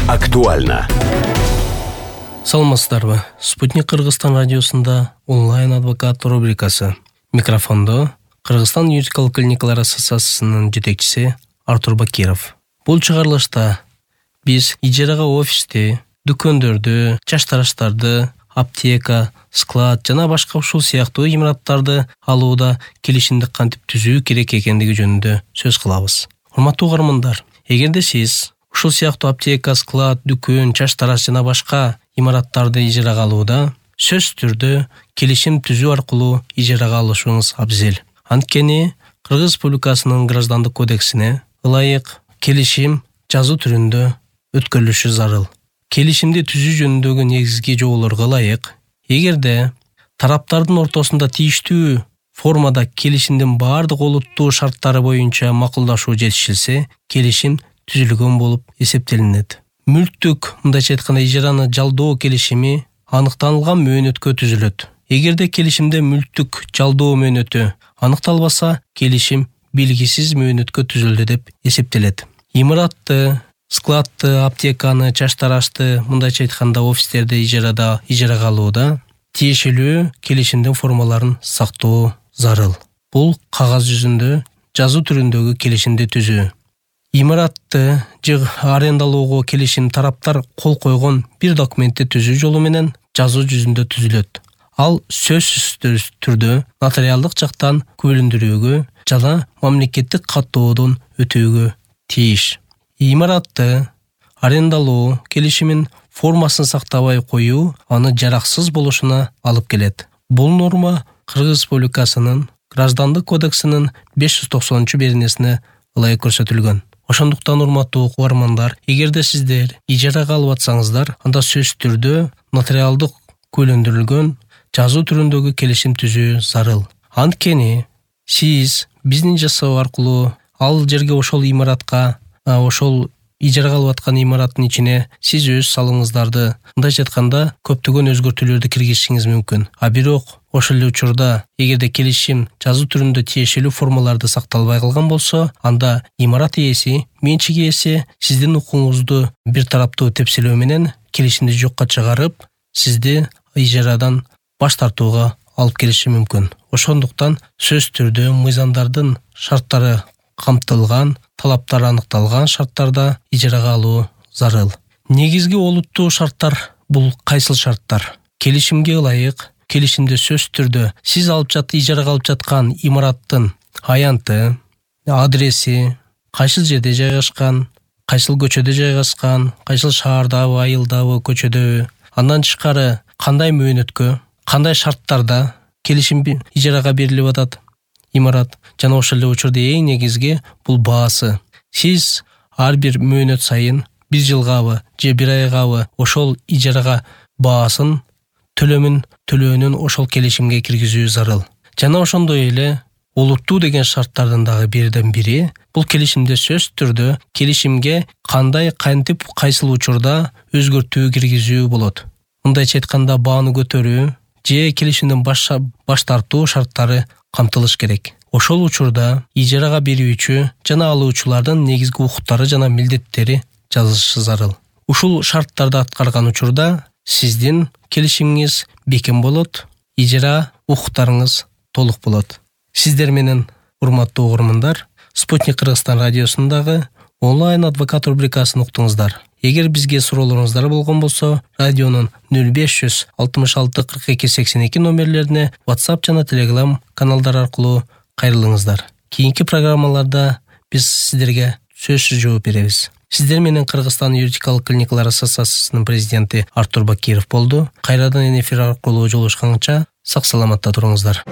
Актуально. Саламатсыздарбы? Спутник Кыргызстан радиосунда онлайн адвокат рубрикасы. Микрофондо Кыргызстан юридикалык клиникалар ассоциациясынын жетекчиси Артур Бакиров. Бул чыгарылышта биз ижарага офисти, дүкөндөрдү, чаштараштарды, аптека, склад жана башка ушул сыяктуу имараттарды алууда келишимди кантип түзүү керек экендиги жөнүндө сөз кылабыз. Урматтуу угармандар, эгерде сиз ушул сыяктуу аптека, склад, дүкөн, чаштараш жана башка имараттарды ижарага алууда сөзсүз түрдө келишим түзүү аркылуу ижарага алышыңыз абзел. Анткени Кыргыз Республикасынын граждандык кодексине ылайык келишим жазуу түрүндө өткөрүлүшү зарыл. Келишимди түзүү жөнүндөгү негизги жоболорго ылайык, эгерде тараптардын ортосунда тийиштүү формада келишимдин баардык олуттуу шарттары боюнча макулдашуу жетишилсе, келишим түзүлгөн болуп эсептелинет. Мүлктүк, мындайча айтканда, ижараны жалдоо келишими аныкталган мөөнөткө түзүлөт. Эгерде келишимде мүлктүк жалдоо мөөнөтү аныкталбаса, келишим белгисиз мөөнөткө түзүлдү деп эсептелет. Имаратты, складты, аптеканы, чаштарашты, мындайча айтканда офистерди ижарага алууда тиешелүү келишимдин формаларын сактоо зарыл. Бул кагаз жүзүндө жазуу түрүндөгү келишимди түзүү. Имаратты же арендалоого келишим тараптар кол койгон бир документти түзүү жолу менен жазуу жүзүндө түзүлөт. Ал сөзсүз түрдө нотариалдык жактан күбөлөндүрүүгө жана мамлекеттик каттоодон өтүүгө тийиш. Имаратты арендалоо келишимин формасын сактабай коюу аны жараксыз болушуна алып келет. Бул норма Кыргыз Республикасынын граждандык кодексинин 590-беренесине ылайык көрсөтүлгөн. Ошондуктан, урматтуу угармандар, эгерде сиздер ижарага алып атсаңыздар, анда сөзсүз түрдө нотариалдык күбөлөндүрүлгөн жазуу түрүндөгү келишим түзүү зарыл. Анткени сиз биздин жасоо аркылуу ал жерге, ошол имаратка, ошол ижарага алып аткан имараттын ичине сиз өз салымыңыздарды, мындайча айтканда, көптөгөн өзгөртүүлөрдү киргизишиңиз мүмкүн. А бирок ошол эле учурда эгерде келишим жазуу түрүндө тиешелүү формаларды сакталбай калган болсо, анда имарат ээси, менчик ээси сиздин укугуңузду бир тараптуу тепселөө менен келишимди жокко чыгарып, сизди ижарадан баш тартууга алып келиши мүмкүн. Ошондуктан сөзсүз түрдө мыйзамдардын шарттары камтылган, талаптары аныкталган шарттарда ижарага алуу зарыл. Негизги олуттуу шарттар бул кайсыл шарттар? Келишимге ылайык келишимде сөзсүз түрдө сиз ижарага алып жаткан имараттын аянты, адреси, кайсыл жерде жайгашкан, кайсыл көчөдө жайгашкан, кайсыл шаардабы, айылдабы, көчөдөбү, андан тышкары кандай мөөнөткө, кандай шарттарда келишим ижарага берилип атат имарат, жана ошол эле учурда эң негизги бул баасы. Сиз ар бир мөөнөт сайын, бир жылгабы же бир айгабы ошол ижарага баасын, төлөөнүн ошол келишимге киргизүү зарыл. Жана ошондой эле олуттуу деген шарттардын дагы бирден бири бул келишимде сөзсүз түрдө келишимге кандай, кантип, кайсыл учурда өзгөртүү киргизүү болот. Мындайча айтканда, бааны көтөрүү же келишимдин баш тартуу шарттары камтылыш керек. Ошол учурда ижарага берүүчү жана алуучулардын негизги укуктары жана милдеттери жазылышы зарыл. Ушул шарттарды аткарган учурда сиздин келишимиңиз бекем болот, ижара укуктарыңыз толук болот. Сиздер менен, урматтуу угармандар, Спутник Кыргызстан радиосундагы онлайн адвокат рубрикасын уктуңуздар. Эгер бизге суроолоруңуздар болгон болсо, радионун 0566 42 82 номерлерине WhatsApp жана Telegram каналдары аркылуу кайрылыңыздар. Кийинки программаларда биз сиздерге сөзсүз жооп беребиз. Сиздер менен Кыргызстан юридикалык клиникалар ассоциациясынын президенти Артур Бакиров болду. Кайрадан эфир аркылуу жолугушканча сак саламатта туруңуздар.